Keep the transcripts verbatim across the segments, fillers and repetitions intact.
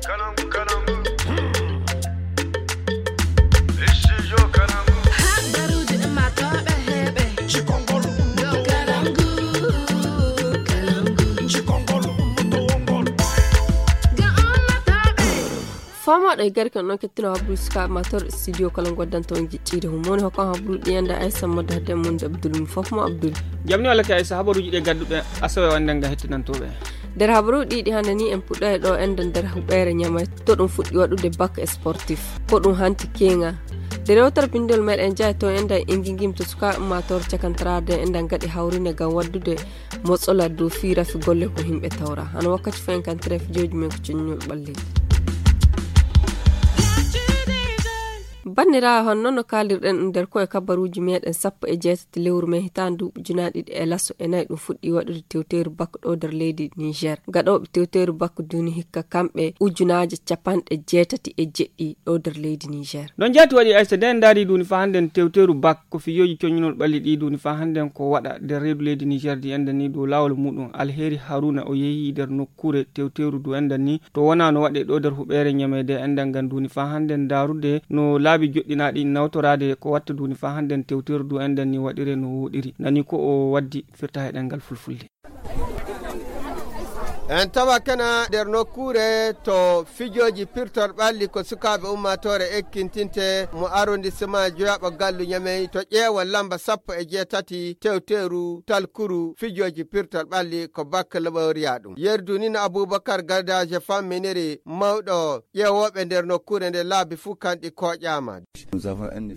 fama da garkan non kettino habru ska mator studio kala goddan to giccide hum woni hokon habru diyanda Aisha modda hadde mun Abdul fofmo Abdul jamni wala ka Aisha habaruji de gaddude asawe wanda nga hettinantobe der habaru didi hande ni en pudda do enden der hubere nyama to dum fuddi wadude bac sportif ko dum hanti kenga der wotar pindol med en jay to enda ingingim to suka mator cakantrade enda gadi hawrine gam waddude motsola do fira fi golle ko himbe tawra an wakkati fen kan tref joji men ko cinnul balli Bandira honno no kalirden nder ko e kabaruji meden sappo e jeetati lewru men hitandu junaadi e lasso e nay dum fuddi wadude tewteru bakko do der leydi Niger gadobe tewteru bakko duni hikka kambe ujunaaje capande jeetati e jeddi do der leydi Niger don jati wadi Aisha den dari duni fa handen tewteru bakko fiyoji conyinol balli di duni fa handen ko wada der reedu leydi Niger di enda ni do lawol mudum Alheri Haruna o yehi der nokkure tewteru du enda ni to wana no wade do der hubere nyamede enda ganduni fa handen darude no laabi joddinaadi nawtorade ko watta duni fa handen tewterdu enden ni wadire no wodiri nani ko o waddi firta hedengal fulfulde en tawa kana der nokkure to fijoji pirtor balli ko sukabe ummatore ekkintinte mo arrondissement joyaba gallu nyame to ƴeewa lamba sappo e jeetati tewteru talkuru fijoji pirtor balli ko bakkalaɓoriya ɗum yerdunina Aboubacar Gadaje famminiri mawɗo ƴeewoɓe nder nokkure nde laabi fuu kanɗi koƴama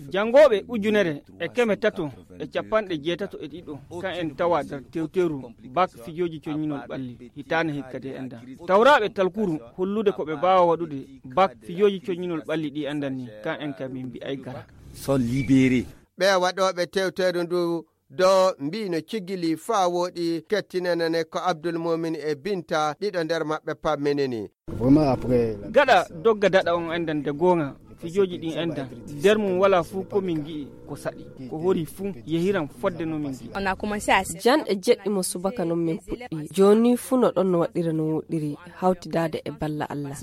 jangoɓe ujunere e keme tato e capanɗe jeetato e ɗiɗo kan en tawa der tewteru bak fijoji coñinol balli hitane kade enda tawrabe talkuru hollude ko be baawa wadude bak fiyoji coñinol balli di andani kan en kam bi ay gara so libéré be wadobe tewteru ndu do mbino cigili fa wodi kettinene ko Abdul Mumin e Binta dido nder mabbe pammeneni gada dogga dada on endan de gonga fijoji din enda der mum wala fu ko min gi ko sadi ko hori fu yehiran fodde no min gi on a commencé à jan e jeddi mo subaka non min puddi joni fu no don no wadira no wodiri hawtidade e balla Allah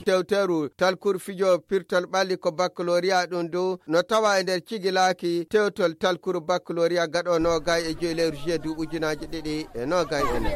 tewteru talkur fijo pirtal balli ko baccalauréat don do no tawa e der cigilaki tewtol talkur baccalauréat gado no gay e joyleru jeedu ujunaaje didi e no gay ene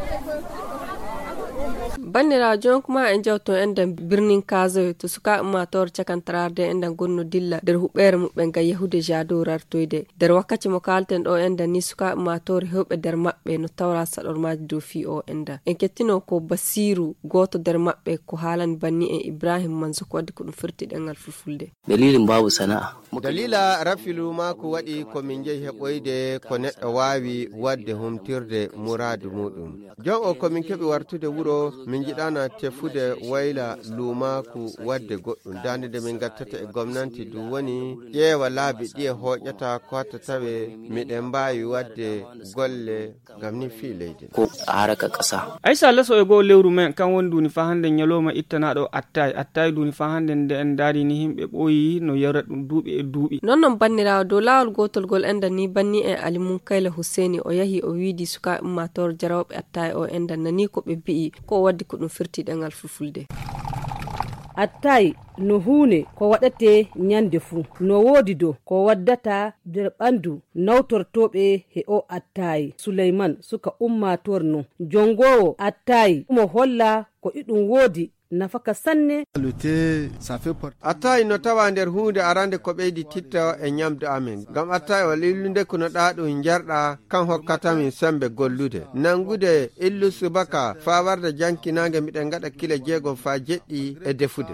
Bandira jon kuma en jawto enden birnin Kazo to suka mator cakantrarde enden gonno dilla der hubere mubbe ga yahude jado rartoyde der wakkati mo kalten do enden ni suka mator hewbe der mabbe no tawra sador maaji do fi o enda en kettino ko Basiru goto der mabbe ko halan banni e Ibrahim manzo ko waddi ko dum firti dengal fulfulde dalilin babu sana'a dalila rafilu ma ko wadi ko min jehi heboyde ko neddo wawi wadde humtirde muradu mudum jon o ko min kebi wartude wuro min jidana tefude wayla lumaku wadde goddum dande min gattata e gomnanti du woni ƴeewa laabi ɗi e hoƴata ko hatta tawe miɗen mbawi wadde golle ngam ni fi leydi ko haraka ƙasa Aisha laso e go lewru men kan won duni fa hande nyaloma ittanaɗo attay attay duni fa hande nde en daari ni himɓe ɓoyi no yara ɗum duuɓi e duuɓi non non bannirawo dow lawol gotol gol enda ni banni e Alimun Kayla Husseini o yahi o wiidi suka ummator jarawɓe attay o enda nani ko ɓe bi'i ko waddi ko ɗum firti dengal fulfulde attay no huune ko waɗate nyande fuu no woodi do ko waddata nder ɓandu nawtortoɓe he o attay Suleyman suka ummator no jongowo attay mo holla ko iɗum woodi nafaka sanne attay no tawa nder hunde arande ko ɓeydi titta e nyamdu amin gam attay o lillunde kono ɗaɗum jarɗa kan hokkatamin sembe gollude nangude illu subaka fa warda jankinange miɗen gaɗa kila jeegom fa jeɗɗi e defude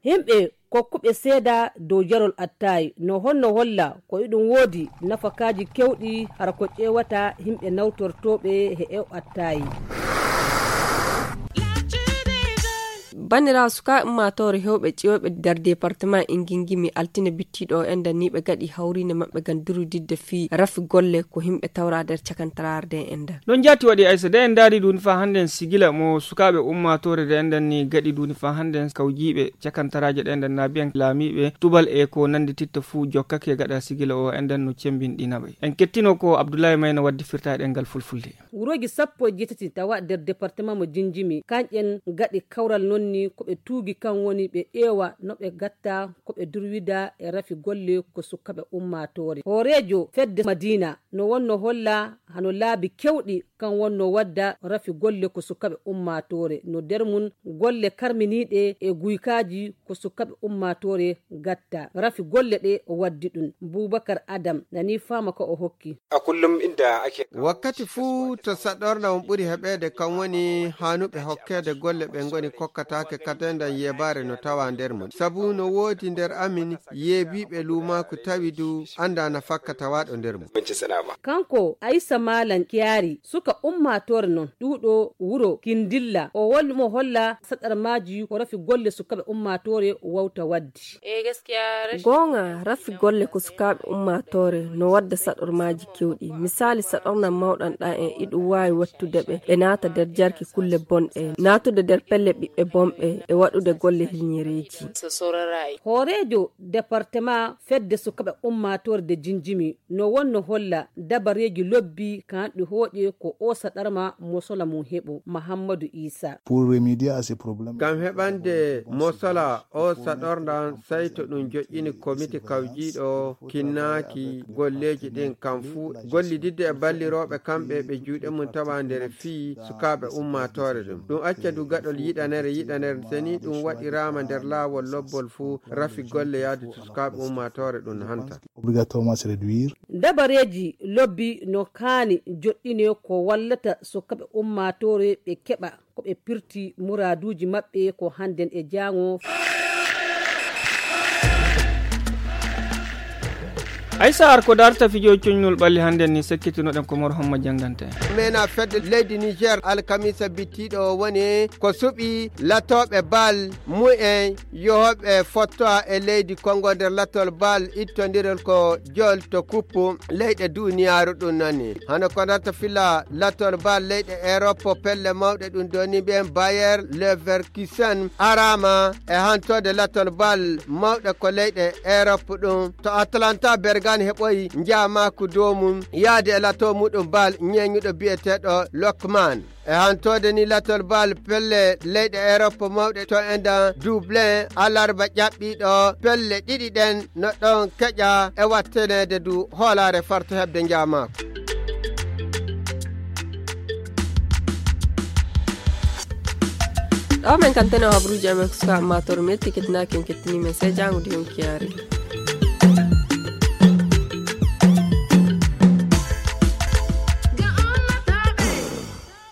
himɓe kokkuɓe seeda dow jarol attay no honno holla ko iɗum woodi nafakaji kewɗi hara ko ƴewata himɓe nawtortoɓe he ew attay Bandira suka ummator hewbe ciwobe der département ingingimi altine bittido enda ni be gadi hawrine mabbe ganduru didde fi rafi golle ko himbe tawra der cakantararde enda don jati wadi Aisha de en daari duni fa handen sigila mo sukabe ummatore de enda ni gadi duni fa handen kawjibe cakantaraje de enda nabiyan lamibe tubal e ko nandi titta fu jokkake gada sigila o enda no cembin dinabe en kettino ko Abdoulaye Mayna waddi firta dengal fulfulde wurogi sappo jetati tawa der département mo jinjimi kanjen gadi kawral nonni woni ko ɓe tuugi kan woni ɓe ƴeewa no ɓe gatta ko ɓe durwida e rafi golle ko sukkaɓe ummatore. Hoorejo fedde Madina no wonno holla hano laabi kewɗi kan wonno wadda rafi golle ko sukkaɓe ummatore, no nder mum golle karminiɗe e guykaji ko sukkaɓe ummatore gatta. Rafi golle ɗe o waddi ɗum. Boubacar Adam nani fama ko o hokki. A kullum inda ake wakkati fuu to saɗorna on ɓuri heɓede kan woni hanuɓe hokkede golle ɓe ngoni kokkatake katendan yebare no tawa nder mum, sabu no woodi nder amin yeebiɓe lumaku tawi du anda na fakka tawaɗo nder mum. Kanko Aissa Malan Kiyari suka ummatore non ɗuɗo wuro Kindilla o wolli mo holla sadar maji ko rafi golle sukaɓe ummatore wawta waddi. E gaskiya gonga rafi golle ko sukaɓe ummatore no wadda sadar maji kewɗi. Misali saɗornan mawɗan ɗa en iɗu wawi wattude ɓe e naata nder jarki kulle bonɗe, natude nder pelle ɓiɓɓe bomɓe e waɗude golle hilñereji. Hoorejo département fedde sukaɓe ummatore de Jinjimi no wonno holla dabareji lobbi kan ɗi hooƴe ko o saɗarma mosola mum heɓo. Mahamadou Issa ngam heɓande mosola o saɗordan sai to ɗum joƴƴini komiti kawjiɗo kinnaki golleji ɗin kam fuu gollididde e balliroɓe kamɓe ɓe juuɗe mum tawa nder fii sukaɓe ummatore ɗum ɗum acca du gaɗol yiɗanere yiɗanere seni ɗum waɗirama nder laawol lobbol fuu rafi golle yaade to sukaɓe ummatore ɗum hanta. Dabareji lobbi no kaani joɗɗine ko wallata sukaɓe ummatore ɓe keɓa ko ɓe pirti muraduji maɓɓe ko hannden e jango. Aissa ar ko darta fijo coñnol ɓalli hannde ni sekkitinoɗen ko mor homma jangante mena fedde leydi Niger alkamisa bittiɗo woni ko suɓi latoɓe bal mu'en yohoɓe fottoa e leydi Congo nder latol bal ittodirol ko jol to kuppu leyɗe duniyaru ɗum nani hano ko darta fila latol bal leyɗe Europe pelle mawɗe ɗum doni ɓen Bayer Leverkusen arama e hantode latol bal mawɗe ko leyɗe Europe ɗum to Atlanta Berga heɓoyi njamaku dow mum yaade e lato muɗum bal ñeñuɗo biyeteɗo Lokman e hantode ni latol bal pelle leyɗe Europe mawɗe to enda Dublin alarba ƴaɓɓiɗo pelle ɗiɗi ɗen no ɗon keƴa e wattenede du hoolare farto heɓde njamaku. ɗo men kantene habruji amen ko suka ummatore metti kettinaken kettinimen sey jangude on kiyari.